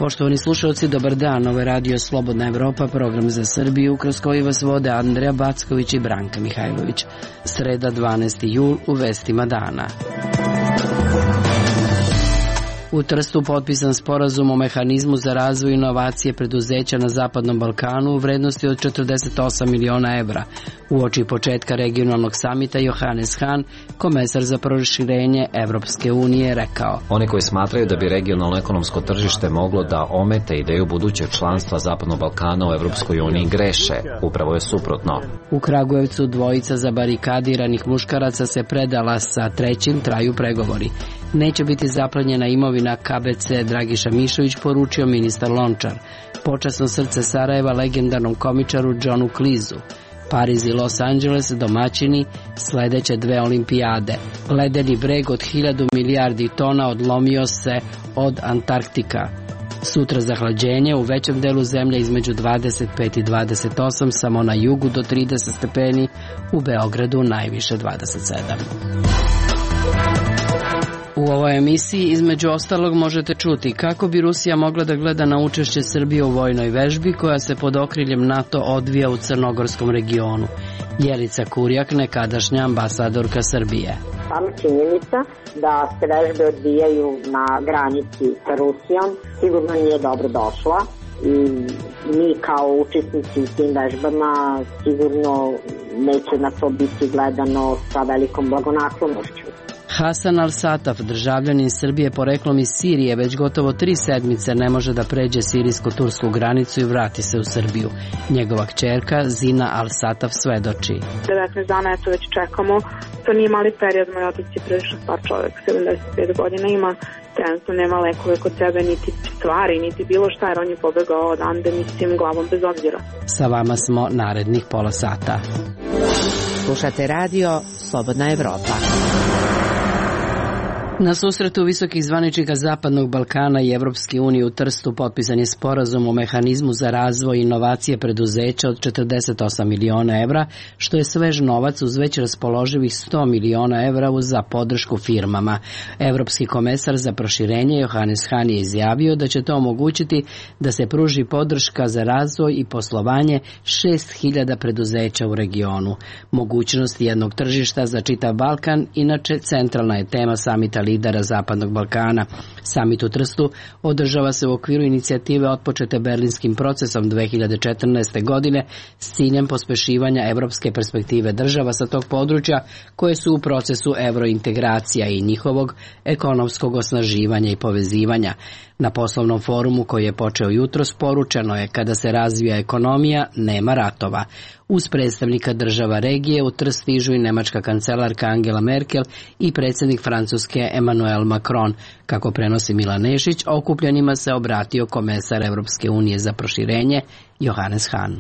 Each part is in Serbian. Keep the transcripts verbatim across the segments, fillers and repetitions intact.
Poštovani slušalci, dobar dan. Ovo je Radio Slobodna Evropa, program za Srbiju, kroz koji vas vode Andreja Backović i Branka Mihajlović. Sreda, dvanaesti jul, u vestima dana. U Trstu potpisan sporazum o mehanizmu za razvoj inovacije preduzeća na Zapadnom Balkanu u vrednosti od četrdeset osam miliona evra. Uoči početka regionalnog samita Johannes Hahn, komesar za proširenje Evropske unije, rekao: Oni koji smatraju da bi regionalno ekonomsko tržište moglo da omete ideju budućeg članstva Zapadnog Balkana u Evropskoj uniji greše. Upravo je suprotno. U Kragujevcu dvojica zabarikadiranih muškaraca se predala, sa trećim traju pregovori. Neće biti zaplenjena imovina K B C Dragiša Mišović, poručio ministar Lončar. Počasno srce Sarajeva legendarnom komičaru Johnu Cleeseu. Pariz i Los Angeles domaćini sledeće dve olimpijade. Ledeni breg od hiljadu milijardi tona odlomio se od Antarktika. Sutra zahlađenje u većem delu zemlje između dvadeset pet i dvadeset osam, samo na jugu do trideset stepeni, u Beogradu najviše dvadeset sedam. U ovoj emisiji između ostalog možete čuti kako bi Rusija mogla da gleda na učešće Srbije u vojnoj vežbi koja se pod okriljem NATO odvija u crnogorskom regionu. Jelica Kurjak, nekadašnja ambasadorka Srbije. Sama činjenica da se vežbe odvijaju na granici sa Rusijom sigurno nije dobro došla i mi kao učesnici u tim vežbama sigurno neće na to biti gledano sa velikom blagonaklonošću. Hasan al-Sataf, državljanin Srbije poreklom iz Sirije, već gotovo tri sedmice ne može da pređe sirijsko-tursku granicu i vrati se u Srbiju. Njegova kćerka Zina al-Sataf svedoči. devetnaest dana eto već čekamo. To nije mali period, moj otac je prilično star čovjek, sedamdeset pet godina ima, trenutno nema lekove kod sebe, niti stvari, niti bilo šta, jer on je pobegao odande, mislim, glavom bez obzira. Sa vama smo narednih pola sata. Slušate radio Slobodna Evropa. Na susretu visokih zvaničnika Zapadnog Balkana i Evropske unije u Trstu potpisan je sporazum o mehanizmu za razvoj i inovacije preduzeća od četrdeset osam miliona evra, što je svež novac uz već raspoloživih sto miliona evra za podršku firmama. Evropski komesar za proširenje Johannes Hahn je izjavio da će to omogućiti da se pruži podrška za razvoj i poslovanje šest hiljada preduzeća u regionu. Mogućnost jednog tržišta za čitav Balkan, inače centralna je tema samita lidera Zapadnog Balkana. Samit u Trstu održava se u okviru inicijative otpočete Berlinskim procesom dve hiljade četrnaeste. godine s ciljem pospešivanja evropske perspektive država sa tog područja koje su u procesu evrointegracija i njihovog ekonomskog osnaživanja i povezivanja. Na poslovnom forumu koji je počeo jutros poručeno je: kada se razvija ekonomija, nema ratova. Uz predstavnika država regije u Trst stižu i nemačka kancelarka Angela Merkel i predsjednik Francuske Emmanuel Macron. Kako prenosi Milan Nešić, okupljenima se obratio komesar Evropske unije za proširenje Johannes Hahn.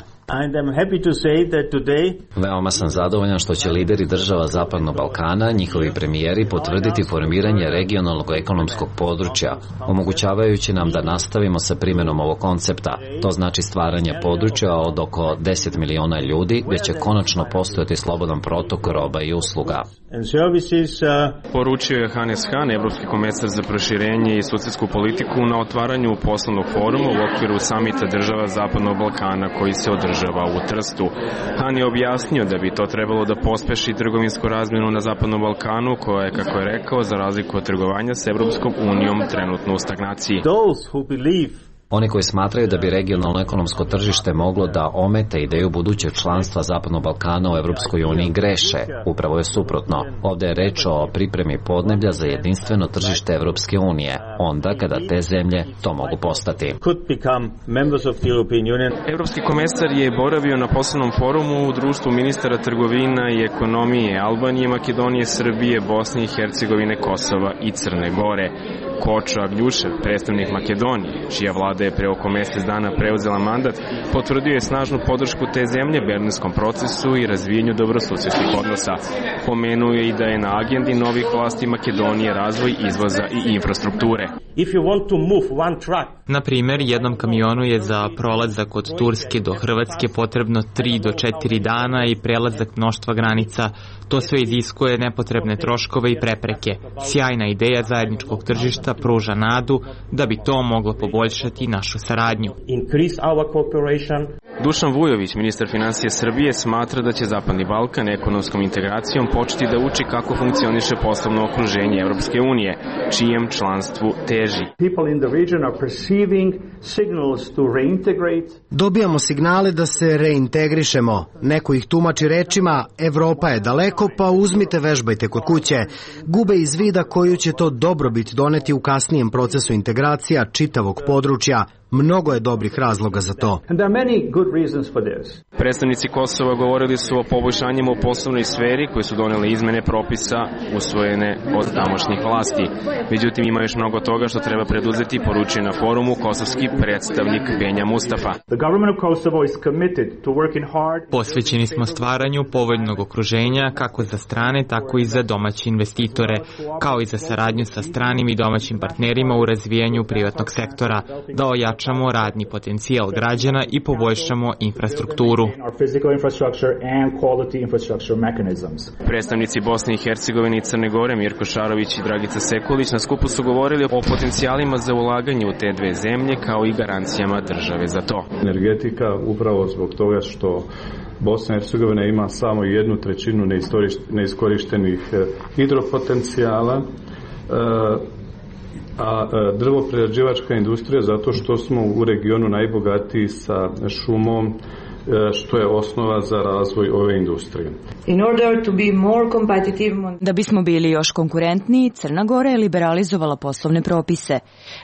Veoma sam zadovoljan što će lideri država Zapadnog Balkana, njihovi premijeri, potvrditi formiranje regionalnog ekonomskog područja, omogućavajući nam da nastavimo sa primjenom ovog koncepta. To znači stvaranje područja od oko deset miliona ljudi, gdje će konačno postojati slobodan protok roba i usluga. Poručio je Johannes Hahn, evropski komesar za proširenje i susedsku politiku, na otvaranju poslovnog foruma u okviru samita država Zapadnog Balkana koji se održava u Trstu. Hahn je objasnio da bi to trebalo da pospeši trgovinsku razmjenu na Zapadnom Balkanu, koja je, kako je rekao, za razliku od trgovanja s Evropskom unijom trenutno u stagnaciji. Oni koji smatraju da bi regionalno ekonomsko tržište moglo da omete ideju budućeg članstva Zapadnog Balkana u Evropskoj uniji greše. Upravo je suprotno. Ovdje je reč o pripremi podneblja za jedinstveno tržište Evropske unije, onda kada te zemlje to mogu postati. Evropski komesar je boravio na poslovnom forumu u društvu ministara trgovina i ekonomije Albanije, Makedonije, Srbije, Bosne i Hercegovine, Kosova i Crne Gore. Kočo Agljušev, predstavnik Makedonije, čija vlada je pre oko mjesec dana preuzela mandat, potvrdio je snažnu podršku te zemlje berlinskom procesu i razvijenju dobrosusjedskih odnosa. Pomenuo je i da je na agendi novih vlasti Makedonije razvoj izvoza i infrastrukture. Na primjer, jednom kamionu je za prolazak od Turske do Hrvatske potrebno tri do četiri dana i prelazak mnoštva granica. To sve iziskuje nepotrebne troškove i prepreke. Sjajna ideja zajedničkog tržišta pruža nadu da bi to moglo poboljšati povećati našu saradnju. Dušan Vujović, ministar finansija Srbije, smatra da će Zapadni Balkan ekonomskom integracijom početi da uči kako funkcioniše poslovno okruženje Evropske unije, čijem članstvu teži. Dobijamo signale da se reintegrišemo. Neko ih tumači rečima Evropa je daleko, pa uzmite, vežbajte kod kuće. Gube iz vida koju će to dobrobit doneti u kasnijem procesu integracija čitavog područja. Mnogo je dobrih razloga za to. Predstavnici Kosova govorili su o poboljšanjima u poslovnoj sferi koje su donele izmene propisa usvojene od tamošnjih vlasti. Međutim, ima još mnogo toga što treba preduzeti, poručuje na forumu kosovski predstavnik Benja Mustafa. Posvećeni smo stvaranju povoljnog okruženja kako za strane, tako i za domaće investitore, kao i za saradnju sa stranim i domaćim partnerima u razvijanju privatnog sektora, da ojačamo radni potencijal građana i poboljšamo infrastrukturu. Predstavnici Bosne i Hercegovine i Crne Gore Mirko Šarović i Dragica Sekulić na skupu su govorili o potencijalima za ulaganje u te dve zemlje kao i garancijama države za to. Energetika upravo zbog toga što Bosna i Hercegovina ima samo jednu trećinu neiskorištenih hidropotencijala, a drvoprerađivačka industrija zato što smo u regionu najbogatiji sa šumom, što je osnova za razvoj ove industrije. Da bismo bili još konkurentniji, Crna Gora je liberalizovala poslovne propise.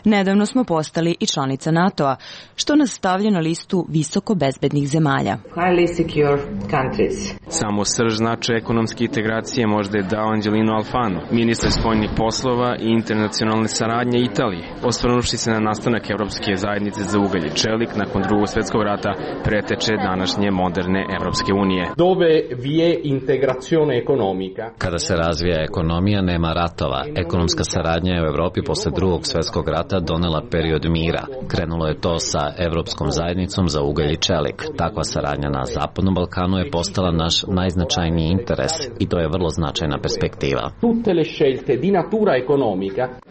Nedavno smo postali i članica NATO-a, što nas stavlja na listu visoko bezbednih zemalja. Samo srž značaja ekonomske integracije možda je dao Angelino Alfano, ministar spoljnih poslova i internacionalne saradnje Italije, osvrnuvši se na nastanak Evropske zajednice za ugalj i čelik nakon Drugog svjetskog rata, preteče današnje moderne Evropske unije. Kada se razvija ekonomija, nema ratova. Ekonomska saradnja je u Evropi posle Drugog svjetskog rata donela period mira. Krenulo je to sa Evropskom zajednicom za ugalj i čelik. Takva saradnja na Zapadnom Balkanu je postala naš najznačajniji interes i to je vrlo značajna perspektiva.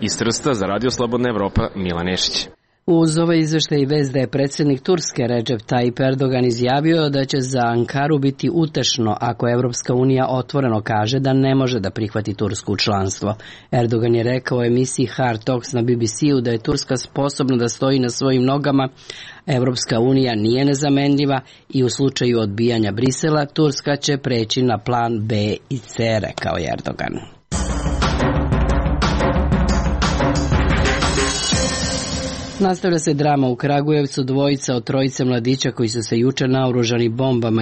Iz Trsta za Radio Slobodna Evropa, Milan Nešić. Uz ovaj izveštaj i vest da je predsjednik Turske Recep Tayyip Erdogan izjavio da će za Ankaru biti utešno ako Evropska unija otvoreno kaže da ne može da prihvati Tursku u članstvo. Erdogan je rekao u emisiji Hard Talks na B B C-u da je Turska sposobna da stoji na svojim nogama, Evropska unija nije nezamenljiva i u slučaju odbijanja Brisela Turska će preći na plan B i C, rekao je Erdogan. Nastavlja se drama u Kragujevcu. Dvojica od trojice mladića koji su se juče naoružani bombama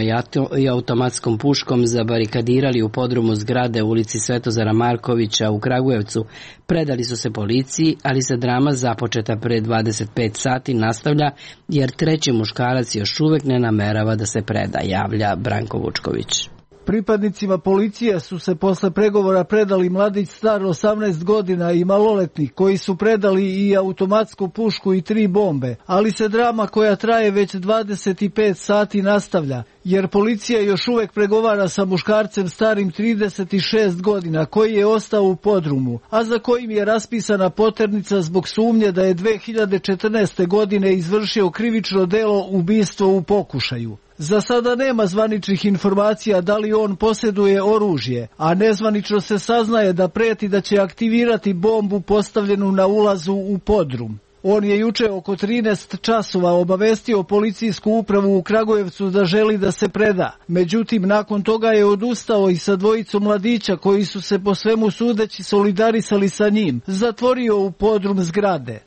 i automatskom puškom zabarikadirali u podrumu zgrade u ulici Svetozara Markovića u Kragujevcu predali su se policiji, ali se drama započeta pre dvadeset pet sati nastavlja jer treći muškarac još uvek ne namerava da se preda, javlja Branko Vučković. Pripadnicima policije su se posle pregovora predali mladić star osamnaest godina i maloletnik koji su predali i automatsku pušku i tri bombe, ali se drama koja traje već dvadeset pet sati nastavlja, jer policija još uvek pregovara sa muškarcem starim trideset šest godina koji je ostao u podrumu, a za kojim je raspisana poternica zbog sumnje da je dve hiljade četrnaeste. godine izvršio krivično delo ubistvo u pokušaju. Za sada nema zvaničnih informacija da li on posjeduje oružje, a nezvanično se saznaje da preti da će aktivirati bombu postavljenu na ulazu u podrum. On je juče oko trinaest časova obavestio policijsku upravu u Kragujevcu da želi da se preda. Međutim, nakon toga je odustao i sa dvojicom mladića koji su se po svemu sudeći solidarisali sa njim, zatvorio u podrum zgrade.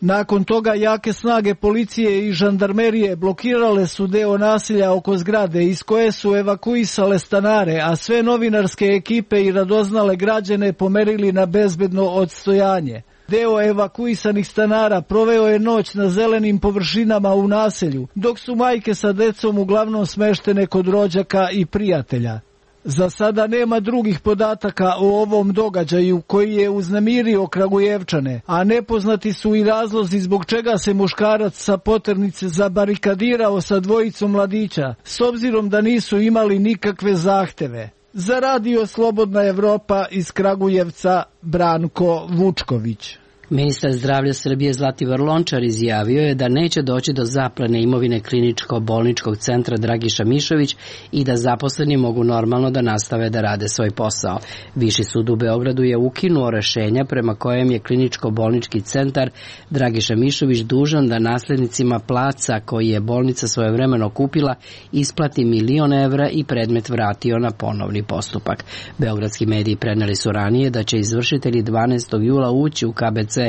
Nakon toga jake snage policije i žandarmerije blokirale su deo naselja oko zgrade iz koje su evakuisale stanare, a sve novinarske ekipe i radoznale građane pomerili na bezbedno odstojanje. Deo evakuisanih stanara proveo je noć na zelenim površinama u naselju, dok su majke sa decom uglavnom smeštene kod rođaka i prijatelja. Za sada nema drugih podataka o ovom događaju koji je uznemirio Kragujevčane, a nepoznati su i razlozi zbog čega se muškarac sa poternice zabarikadirao sa dvojicom mladića, s obzirom da nisu imali nikakve zahteve. Za Radio Slobodna Evropa iz Kragujevca, Branko Vučković. Ministar zdravlja Srbije Zlatibor Lončar izjavio je da neće doći do zaplene imovine kliničko-bolničkog centra Dragiša Mišović i da zaposleni mogu normalno da nastave da rade svoj posao. Viši sud u Beogradu je ukinuo rešenja prema kojem je kliničko-bolnički centar Dragiša Mišović dužan da naslednicima placa koji je bolnica svojevremeno kupila isplati milion evra i predmet vratio na ponovni postupak. Beogradski mediji preneli su ranije da će izvršitelji dvanaestog jula ući u K B C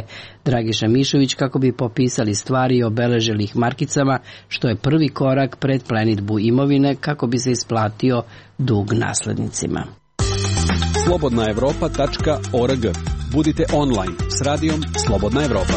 Dragiša Mišović kako bi popisali stvari i obeležili ih markicama, što je prvi korak pred plenidbu imovine kako bi se isplatio dug naslednicima. slobodna evropa tačka org. Budite online s radijom Slobodna Evropa.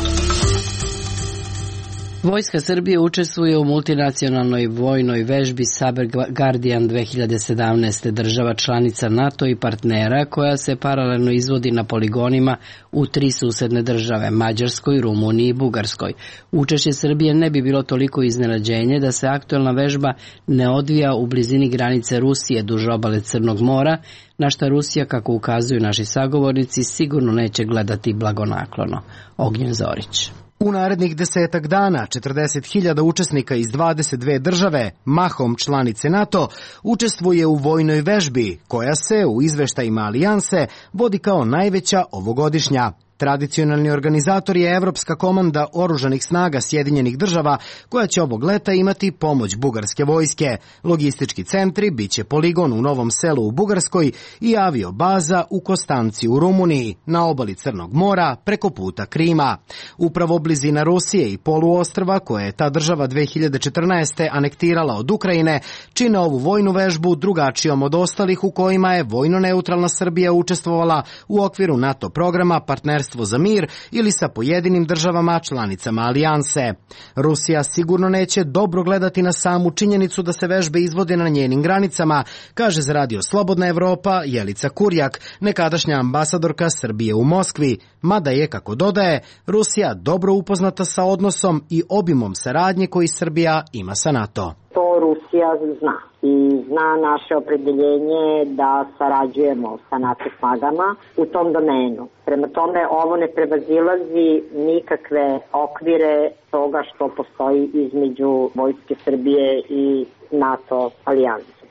Vojska Srbije učestvuje u multinacionalnoj vojnoj vežbi Cyber Guardian dve hiljade sedamnaeste. Država članica NATO i partnera koja se paralelno izvodi na poligonima u tri susedne države, Mađarskoj, Rumuniji i Bugarskoj. Učešće Srbije ne bi bilo toliko iznenađenje da se aktuelna vežba ne odvija u blizini granice Rusije duž obale Crnog mora, na šta Rusija, kako ukazuju naši sagovornici, sigurno neće gledati blagonaklono. Ognjen Zorić. U narednih desetak dana četrdeset hiljada učesnika iz dvadeset dve države, mahom članice NATO, učestvuje u vojnoj vežbi koja se u izveštajima alijanse vodi kao najveća ovogodišnja. Tradicionalni organizator je Evropska komanda oružanih snaga Sjedinjenih država, koja će ovog leta imati pomoć bugarske vojske. Logistički centri biće poligon u Novom Selu u Bugarskoj i aviobaza u Kostanci u Rumuniji, na obali Crnog mora preko puta Krima. Upravo blizina Rusije i poluostrva, koje je ta država dve hiljade četrnaeste. anektirala od Ukrajine, čine ovu vojnu vežbu drugačijom od ostalih u kojima je vojno-neutralna Srbija učestvovala u okviru NATO programa Partnerstvo za mir ili sa pojedinim državama članicama alijanse. Rusija sigurno neće dobro gledati na samu činjenicu da se vežbe izvode na njenim granicama, kaže za Radio Slobodna Evropa Jelica Kurjak, nekadašnja ambasadorka Srbije u Moskvi, mada je, kako dodaje, Rusija dobro upoznata sa odnosom i obimom saradnje koji Srbija ima sa NATO. To Rusija zna i zna naše opredeljenje da sarađujemo sa NATO snagama u tom domenu. Prema tome, ovo ne prevazilazi nikakve okvire toga što postoji između Vojske Srbije i NATO alijanse.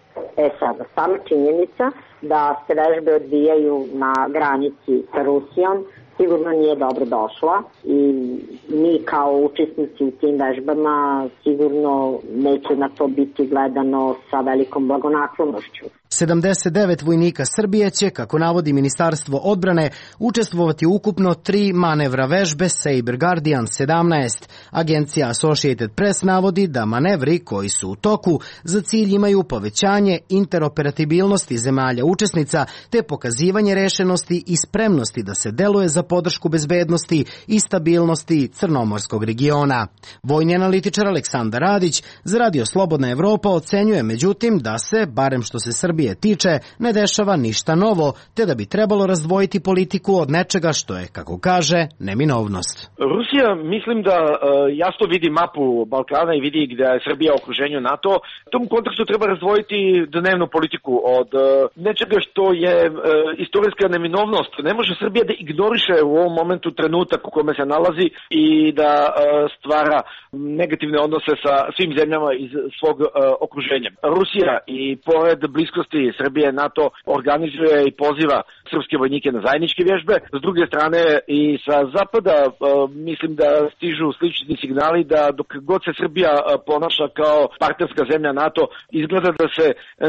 E sada, sama činjenica da se vežbe odvijaju na granici sa Rusijom sigurno nije dobro došla i mi kao učesnici u tim vežbama sigurno neće na to biti gledano sa velikom blagonaklonošću. sedamdeset devet vojnika Srbije će, kako navodi Ministarstvo odbrane, učestvovati ukupno tri manevra vežbe Cyber Guardian sedamnaest. Agencija Associated Press navodi da manevri koji su u toku za cilj imaju povećanje interoperabilnosti zemalja učesnica te pokazivanje rešenosti i spremnosti da se deluje za podršku bezbednosti i stabilnosti crnomorskog regiona. Vojni analitičar Aleksandar Radić za Radio Slobodna Evropa ocenjuje međutim da se, barem što se Srbije tiče, ne dešava ništa novo, te da bi trebalo razdvojiti politiku od nečega što je, kako kaže, neminovnost. Rusija, mislim da uh, jasno vidi mapu Balkana i vidi gde je Srbija u okruženju NATO. U tom kontekstu treba razdvojiti dnevnu politiku od uh, nečega što je uh, istorijska neminovnost. Ne može Srbija da ignoriše u ovom momentu trenutak u kome se nalazi i da uh, stvara negativne odnose sa svim zemljama iz svog uh, okruženja. Rusija i pored bliskosti Srbije NATO organizuje i poziva srpske vojnike na zajedničke vježbe. S druge strane i sa zapada uh, mislim da stižu slični signali da dok god se Srbija uh, ponaša kao partnerska zemlja NATO, izgleda da se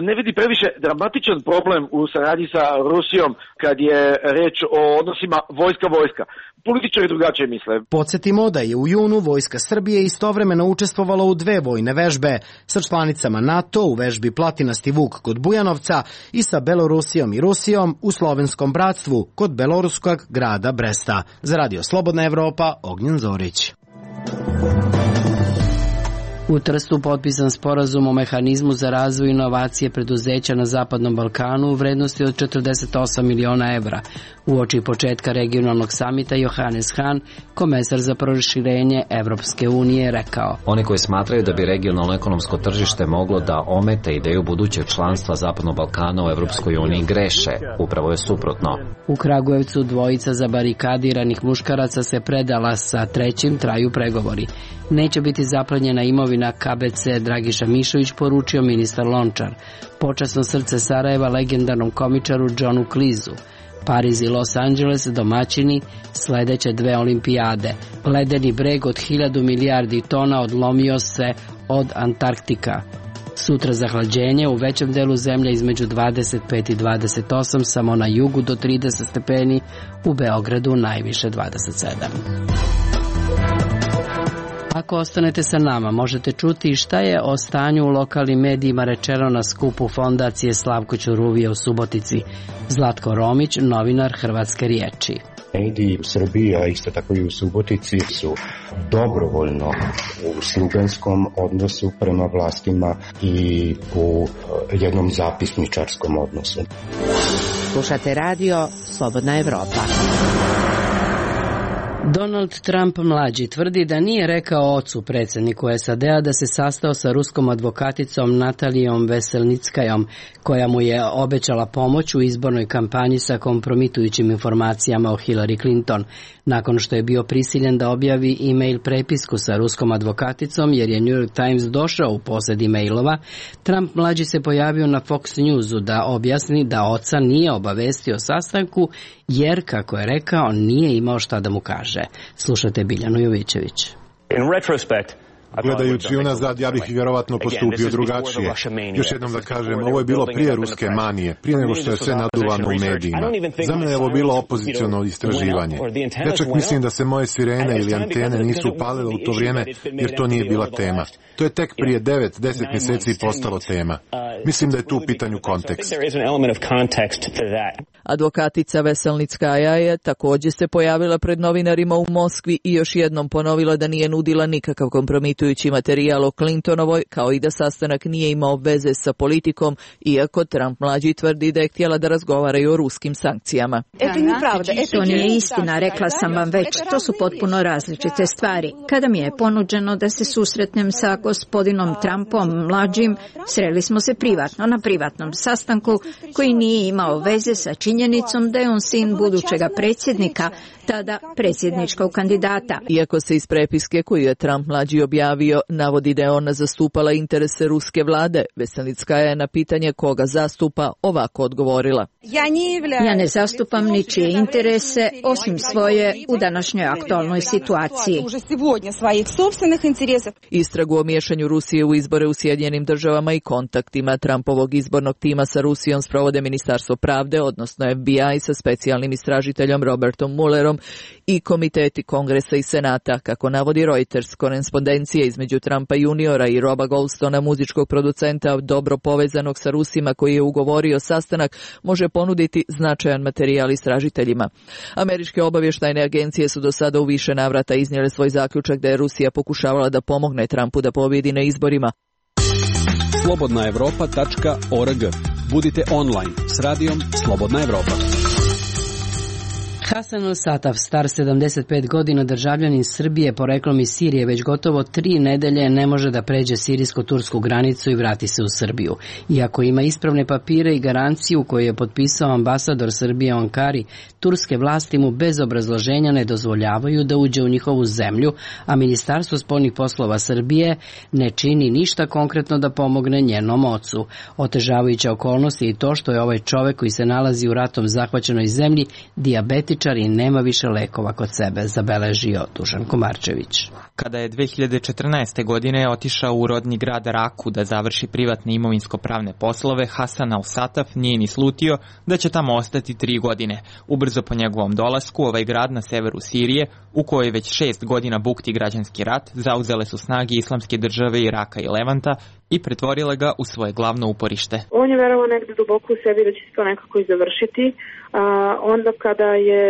ne vidi previše dramatičan problem u saradnji sa Rusijom kad je reč o odnosima vojska-vojska. Političari drugačije misle. Podsjetimo da je u junu Vojska Srbije istovremeno učestvovala u dve vojne vežbe sa članicama NATO u vežbi Platinasti Vuk kod Bujanovca i sa Belorusijom i Rusijom u Slovenskom bratstvu kod beloruskog grada Bresta. Za Radio Slobodna Evropa, Ognjen Zorić. U Trstu potpisan sporazum o mehanizmu za razvoj inovacije preduzeća na Zapadnom Balkanu u vrednosti od četrdeset osam miliona evra. Uoči početka regionalnog samita Johannes Hahn, komesar za proširenje Evropske unije, rekao: Oni koji smatraju da bi regionalno ekonomsko tržište moglo da omete ideju budućeg članstva Zapadnog Balkana u Evropskoj uniji greše. Upravo je suprotno. U Kragujevcu dvojica zabarikadiranih muškaraca se predala, sa trećim traju pregovori. Neće biti zaplenjena imovina K B C Dragiša Mišović, poručio ministar Lončar. Počasno srce Sarajeva legendarnom komičaru Johnu Klizu. Pariz i Los Angeles domaćini sledeće dve olimpijade. Ledeni breg od hiljadu milijardi tona odlomio se od Antarktika. Sutra zahlađenje u većem delu zemlje između dvadeset pet i dvadeset osam, samo na jugu do trideset stepeni, u Beogradu najviše dvadeset sedam. Ako ostanete sa nama, možete čuti šta je o stanju u lokalnim medijima rečeno na skupu fondacije Slavko Ćuruvije u Subotici. Zlatko Romić, novinar Hrvatske riječi. Mediji u Srbiji, a isto tako i u Subotici, su dobrovoljno u sluganskom odnosu prema vlastima i u jednom zapisničarskom odnosu. Slušate radio Slobodna Evropa. Donald Trump mlađi tvrdi da nije rekao ocu predsjedniku S A D-a da se sastao sa ruskom advokaticom Natalijom Veselnickajom, koja mu je obećala pomoć u izbornoj kampanji sa kompromitujućim informacijama o Hillary Clinton. Nakon što je bio prisiljen da objavi e-mail prepisku sa ruskom advokaticom jer je New York Times došao u posjed e-mailova, Trump mlađi se pojavio na Fox Newsu da objasni da oca nije obavestio o sastanku jer, kako je rekao, nije imao šta da mu kaže. Slušajte Biljanu Jovićević. In retrospect, Gledajući unazad, ja bih vjerovatno postupio drugačije. Još jednom da kažem, ovo je bilo prije ruske manije, prije nego što je sve naduvano u medijima. Za mene je ovo bilo opoziciono istraživanje. Ja čak mislim da se moje sirene ili antene nisu upalile u to vrijeme, jer to nije bila tema. To je tek prije devet, deset mjeseci postalo tema. Mislim da je tu u pitanju kontekst. Advokatica Veselnickaja je također se pojavila pred novinarima u Moskvi i još jednom ponovila da nije nudila nikakav kompromitujući materijal o Clintonovoj, kao i da sastanak nije imao veze sa politikom, iako Trump mlađi tvrdi da je htjela da razgovaraju o ruskim sankcijama. To nije istina, rekla sam vam već, to su potpuno različite stvari. Kada mi je ponuđeno da se susretnem sa gospodinom Trumpom mlađim, sreli smo se privatno, na privatnom sastanku koji nije imao veze sa činjenicom da je on sin budućega predsjednika, tada predsjedničkog kandidata. Iako se iz prepiske koju je Trump mlađi objavio navodi da je ona zastupala interese ruske vlade, Veselnickaja je na pitanje koga zastupa ovako odgovorila. Ja ne zastupam ničije interese osim svoje u današnjoj aktualnoj situaciji. Istragu o miješanju Rusije u izbore u Sjedinjenim državama i kontaktima Trumpovog izbornog tima sa Rusijom sprovode Ministarstvo pravde, odnosno F B I sa specijalnim istražiteljom Robertom Mullerom i komiteti Kongresa i Senata. Kako navodi Reuters, korespondencija između Trumpa juniora i Roba Goldstona, muzičkog producenta dobro povezanog sa Rusima koji je ugovorio sastanak, može ponuditi značajan materijal istražiteljima. Američke obavještajne agencije su do sada u više navrata iznijele svoj zaključak da je Rusija pokušavala da pomogne Trumpu da pobjedi na izborima. slobodna evropa tačka org. Budite online s radijom Slobodna Evropa. Hasan al-Sataf, star sedamdeset pet godina, državljanin Srbije poreklom iz Sirije, već gotovo tri nedelje ne može da pređe sirijsko-tursku granicu i vrati se u Srbiju. Iako ima ispravne papire i garanciju koju je potpisao ambasador Srbije u Ankari, turske vlasti mu bez obrazloženja ne dozvoljavaju da uđe u njihovu zemlju, a Ministarstvo spoljnih poslova Srbije ne čini ništa konkretno da pomogne njenom ocu. Otežavajuća okolnost je i to što je ovaj čovek koji se nalazi u ratom zahvaćenoj zemlji dijabetičan i nema više lekova kod sebe, zabeležio Dušan Komarčević. Kada je dve hiljade četrnaeste. godine otišao u rodni grad Raku da završi privatne imovinsko-pravne poslove, Hasan al-Sataf nije ni slutio da će tamo ostati tri godine. Ubrzo po njegovom dolasku, ovaj grad na severu Sirije, u kojoj već šest godina bukti građanski rat, zauzele su snage Islamske države Iraka i Levanta i pretvorile ga u svoje glavno uporište. On je verovao negde duboko u sebi da će se to nekako i završiti. A onda kada je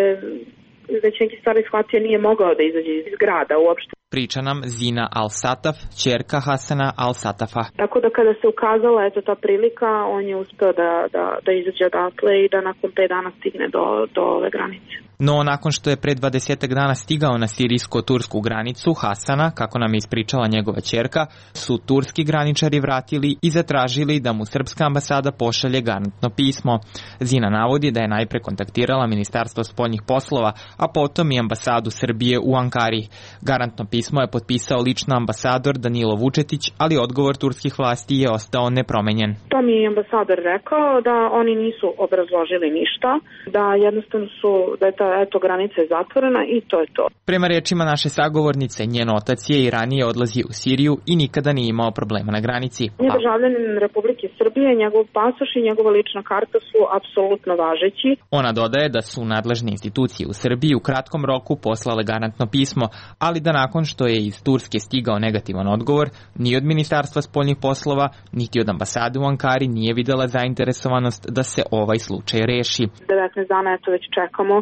već neki stvari shvatio, nije mogao da izađe iz grada uopšte. Priča nam Zina Al-Sataf, ćerka Hasana Al-Satafa. Tako da kada se ukazala eto ta prilika, on je uspeo da, da, da izađe odatle i da nakon pet dana stigne do, do ove granice. No, nakon što je pre dvadesetak dana stigao na sirijsko-tursku granicu Hasana, kako nam je ispričala njegova ćerka, su turski graničari vratili i zatražili da mu srpska ambasada pošalje garantno pismo. Zina navodi da je najpre kontaktirala Ministarstvo spoljnih poslova, a potom i ambasadu Srbije u Ankari. Garantno pismo je potpisao lično ambasador Danilo Vučetić, ali odgovor turskih vlasti je ostao nepromenjen. To mi je ambasador rekao da oni nisu obrazložili ništa, da jednostavno su, da je ta eto granica je zatvorena i to je to. Prema rečima naše sagovornice, njen otac je i ranije odlazio u Siriju i nikada nije imao problema na granici. On je državljanin Republike Srbije, njegov pasoš i njegova lična karta su apsolutno važeći. Ona dodaje da su nadležne institucije u Srbiji u kratkom roku poslale garantno pismo, ali da nakon što je iz Turske stigao negativan odgovor, ni od Ministarstva spoljnih poslova, niti od ambasade u Ankari nije videla zainteresovanost da se ovaj slučaj reši. devetnaest dana eto već čekamo.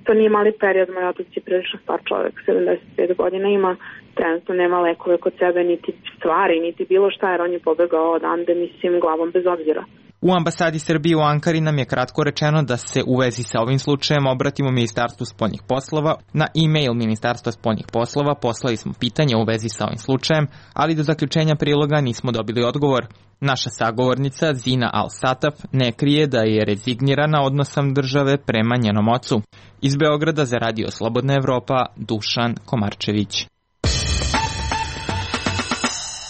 To nije mali period, moj otac je prilično star čovjek, sedamdeset pet godina ima, trenutno nema lekove kod sebe, niti stvari, niti bilo šta, jer on je pobegao odande, mislim, glavom bez obzira. U ambasadi Srbije u Ankari nam je kratko rečeno da se u vezi sa ovim slučajem obratimo Ministarstvu spoljnih poslova. Na e-mail Ministarstva spoljnih poslova poslali smo pitanje u vezi sa ovim slučajem, ali do zaključenja priloga nismo dobili odgovor. Naša sagovornica Zina Al-Sataf ne krije da je rezignirana odnosom države prema njenom ocu. Iz Beograda za Radio Slobodna Evropa, Dušan Komarčević.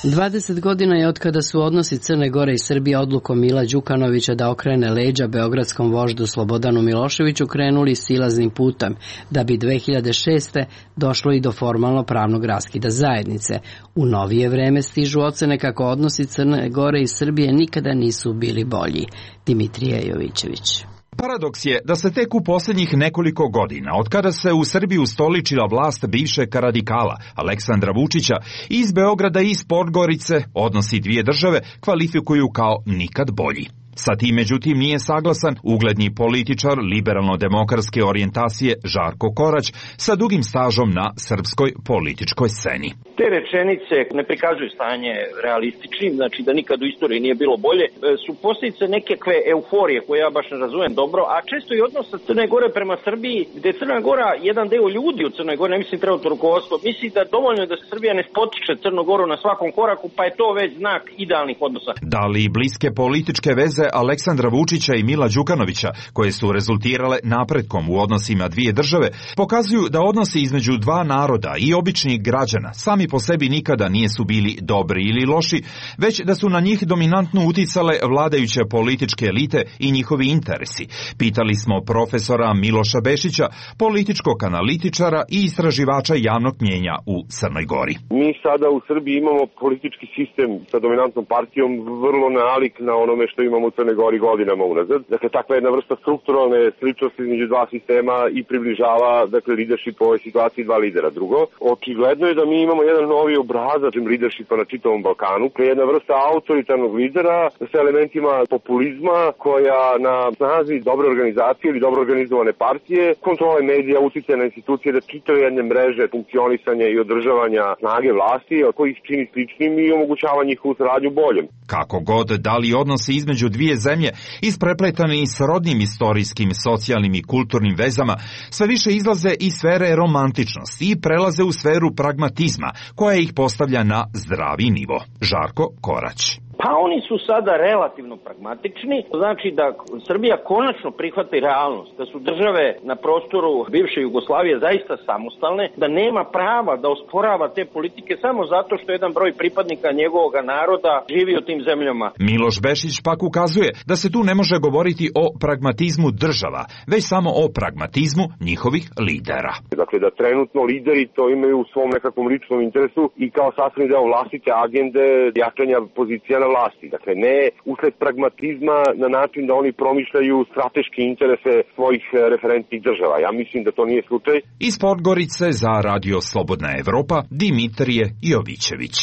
dvadeset godina je od kada su odnosi Crne Gore i Srbije odlukom Mila Đukanovića da okrene leđa beogradskom voždu Slobodanu Miloševiću krenuli silaznim putem, da bi dve hiljade šeste. došlo i do formalno pravnog raskida zajednice. U novije vreme stižu ocene kako odnosi Crne Gore i Srbije nikada nisu bili bolji. Dimitrije Jovićević. Paradoks je da se tek u posljednjih nekoliko godina, od kada se u Srbiji ustoličila vlast bivšeg radikala Aleksandra Vučića, iz Beograda i iz Podgorice odnosi dvije države kvalifikuju kao nikad bolji. Sa tim, međutim, nije saglasan ugledni političar liberalno-demokratske orijentacije Žarko Korać sa dugim stažom na srpskoj političkoj sceni. Te rečenice ne prikazuju stanje realističnim, znači da nikad u istoriji nije bilo bolje, su posljedice nekakve euforije koje ja baš ne razumem dobro, a često i odnos sa Crne Gore prema Srbiji, gde Crna Gora, jedan deo ljudi u Crnoj Gori, ne mislim trenutno rukovodstvo, misli da dovoljno je da se Srbija ne spotiče Crnogoru na svakom koraku, pa je to već znak idealnih odnosa. Da li bliske političke veze Aleksandra Vučića i Mila Đukanovića, koje su rezultirale napretkom u odnosima dvije države, pokazuju da odnosi između dva naroda i običnih građana sami po sebi nikada nisu bili dobri ili loši, već da su na njih dominantno uticale vladajuće političke elite i njihovi interesi. Pitali smo profesora Miloša Bešića, političkog analitičara i istraživača javnog mnjenja u Crnoj Gori. Mi sada u Srbiji imamo politički sistem sa dominantnom partijom vrlo nalik na onome što imamo u Crnoj Gori godinama unazad. Dakle, takva jedna vrsta strukturalne sličnosti između dva sistema i približava, dakle, leadership u ovoj situaciji dva lidera. Drugo, očigledno je da mi imamo jedan novi obrazac leadershipa na čitavom Balkanu, koja je jedna vrsta autoritarnog lidera sa elementima populizma koja na snazi dobre organizacije ili dobro organizovane partije, kontrole medija, uticaja na institucije da čitaju jedne mreže funkcionisanja i održavanja snage vlasti, koji ih čini sličnim i omogućava njihovu saradnju boljem. Kako god, da li odnosi između dvije zemlje, isprepletani s rodnim istorijskim, socijalnim i kulturnim vezama, sve više izlaze iz sfere romantičnosti i prelaze u sferu pragmatizma, koja ih postavlja na zdravi nivo. Žarko Korać. Pa oni su sada relativno pragmatični, znači da Srbija konačno prihvati realnost, da su države na prostoru bivše Jugoslavije zaista samostalne, da nema prava da osporava te politike samo zato što jedan broj pripadnika njegovog naroda živi u tim zemljama. Miloš Bešić pak ukazuje da se tu ne može govoriti o pragmatizmu država, već samo o pragmatizmu njihovih lidera. Dakle, da trenutno lideri to imaju u svom nekakvom ličnom interesu i kao sastavni deo vlastite agende jačanja pozicija na vlasti. Dakle, ne usled pragmatizma na način da oni promišljaju strateške interese svojih referentnih država. Ja mislim da to nije slučaj. Iz Podgorice za Radio Slobodna Evropa, Dimitrije Jovićević.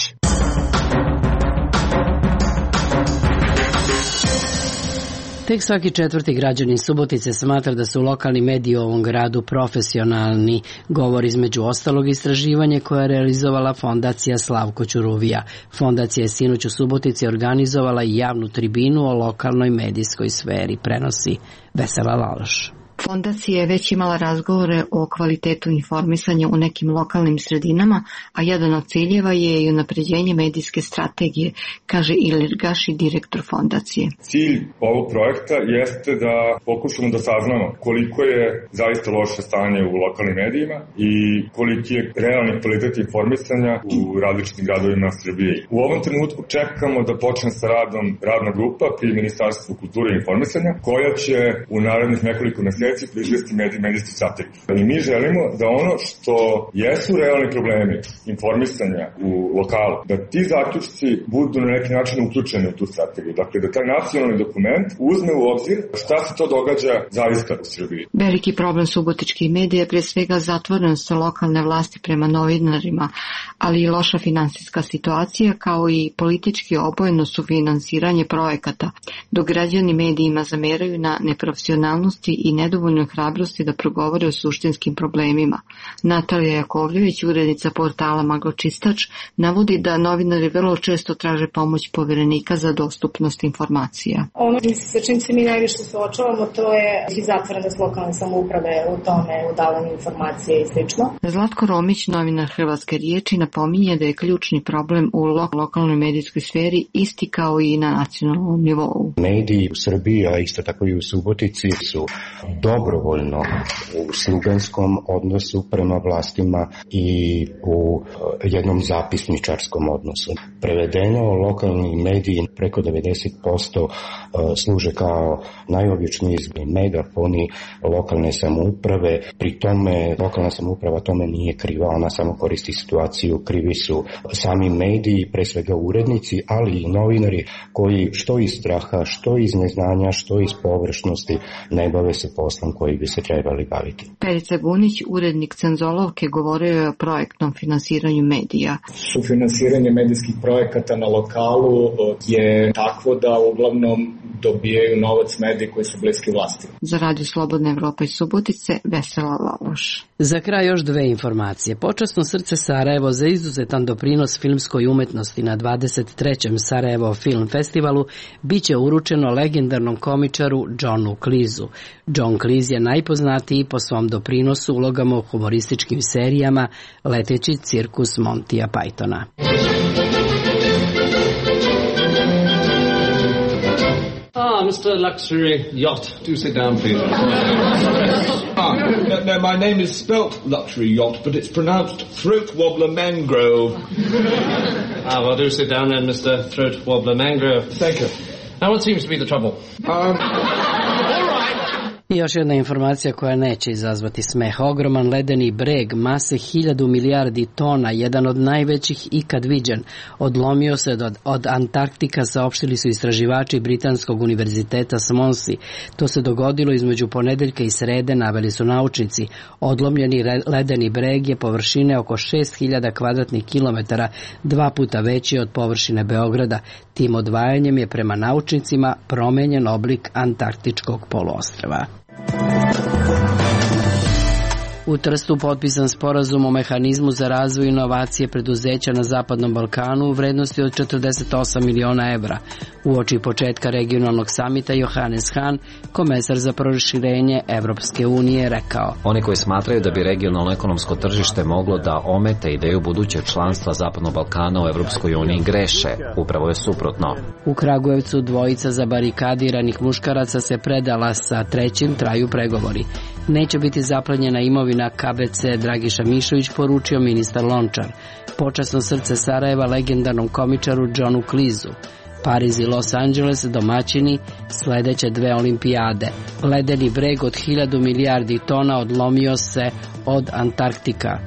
Tek svaki četvrti građanin Subotice smatra da su lokalni mediji u ovom gradu profesionalni, govori između ostalog istraživanje koje je realizovala fondacija Slavko Ćuruvija. Fondacija je sinoć u Subotici organizovala i javnu tribinu o lokalnoj medijskoj sferi, prenosi Vesela Laloš. Fondacija je već imala razgovore o kvalitetu informisanja u nekim lokalnim sredinama, a jedan od ciljeva je i unapređenje medijske strategije, kaže Ilir Gaši, direktor fondacije. Cilj ovog projekta jeste da pokušamo da saznamo koliko je zaista loše stanje u lokalnim medijima i koliki je realni kvalitet informisanja u različitim gradovima Srbije. U ovom trenutku čekamo da počne sa radom radna grupa pri Ministarstvu kulture i informisanja, koja će u narednih nekoliko meseci proizvesti medij, medijski strategiju. I mi želimo da ono što jesu realni problemi informisanja u lokalu, da ti zaključci budu na neki način uključeni u tu strategiju. Dakle, da taj nacionalni dokument uzme u obzir šta se to događa zaista u Srbiji. Veliki problem subotičkih medija je pre svega zatvorenost lokalne vlasti prema novinarima, ali i loša finansijska situacija, kao i politički obojeno sufinansiranje projekata, dok građani medijima zameraju na neprofesionalnosti i nedovoljno hrabrosti da progovore o suštinskim problemima. Natalija Jakovljević, urednica portala Magločistač, navodi da novinari vrlo često traže pomoć poverenika za dostupnost informacija. Ono sa čim se mi najviše suočavamo, to je i zatvorenost lokalne samouprave u tome, u davanju informacije i slično. Zlatko Romić, novinar Hrvatske riječi, napominje da je ključni problem u lokalnoj medijskoj sferi isti kao i na nacionalnom nivou. Mediji u Srbiji, a isto tako i u Subotici, su dobrovoljno u sluganskom odnosu prema vlastima i u jednom zapisničarskom odnosu. Prevedeno, lokalni mediji preko devedeset posto služe kao najobičniji megafoni lokalne samouprave. Pri tome lokalna samouprava tome nije kriva, ona samo koristi situaciju. Krivi su sami mediji, pre svega urednici, ali i novinari koji što iz straha, što iz neznanja, što iz površnosti ne bave se poslom koji bi se trebali baviti. Perica Gunić, urednik Cenzolovke, govorio je o projektnom finansiranju medija. Sufinansiranje medijskih projekata na lokalu je takvo da uglavnom dobijaju novac mediji koji su bliski vlasti. Za Radio Slobodna Evropa iz Subotice, Vesela Laloš. Za kraj još dve informacije. Počasno srce Sarajevo za izuzetan doprinos filmskoj umetnosti na dvadeset trećem Sarajevo Film Festivalu biće uručeno legendarnom komičaru Johnu Cleeseu. John Cleese je najpoznatiji po svom doprinosu ulogama u humorističkim serijama Leteći cirkus Montija Pythona. Ah, Mister Luxury Yacht. Do sit down, please. ah, no, no, my name is spelt Luxury Yacht, but it's pronounced Throat Wobbler Mangrove. ah, well, do sit down then, Mister Throat Wobbler Mangrove. Thank you. Now, what seems to be the trouble? Um... I još jedna informacija koja neće izazvati smeh. Ogroman ledeni breg mase hiljadu milijardi tona, jedan od najvećih ikad viđen, odlomio se od, od Antarktika, saopštili su istraživači Britanskog univerziteta Swansea. To se dogodilo između ponedeljka i srede, naveli su naučnici. Odlomljeni ledeni breg je površine oko šest hiljada kvadratnih kilometara, dva puta veći od površine Beograda. Tim odvajanjem je prema naučnicima promenjen oblik Antarktičkog poluostrva. U Trstu potpisan sporazum o mehanizmu za razvoj inovacije preduzeća na Zapadnom Balkanu u vrednosti od četrdeset osam miliona evra. Uoči početka regionalnog samita Johannes Hahn, komesar za proširenje Evropske unije, rekao: Oni koji smatraju da bi regionalno ekonomsko tržište moglo da omete ideju budućeg članstva Zapadnog Balkana u Evropskoj uniji greše. Upravo je suprotno. U Kragujevcu dvojica zabarikadiranih muškaraca se predala, sa trećim traju pregovori. Neće biti zaplenjena imovina K B C Dragiša Mišović, poručio ministar Lončar. Počasno srce Sarajeva legendarnom komičaru Johnu Cleeseu. Pariz i Los Angeles domaćini sledeće dve olimpijade. Ledeni breg od hiljadu milijardi tona odlomio se od Antarktika.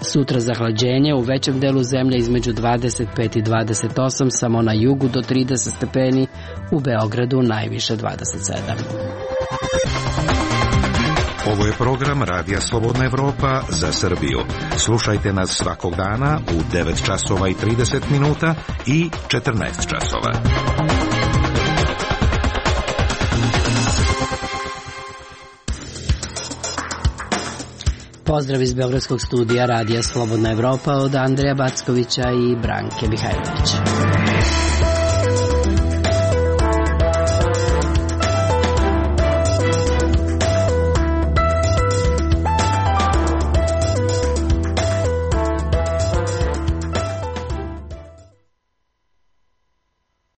Sutra zahlađenje u većem delu zemlje između dvadeset pet i dvadeset osam, samo na jugu do trideset stepeni, u Beogradu najviše dvadeset sedam. Ovo je program Radija Slobodna Evropa za Srbiju. Slušajte nas svakog dana u devet časova i trideset minuta i četrnaest časova. Pozdrav iz Beogradskog studija Radija Slobodna Evropa od Andreja Backovića i Branke Mihajlovića.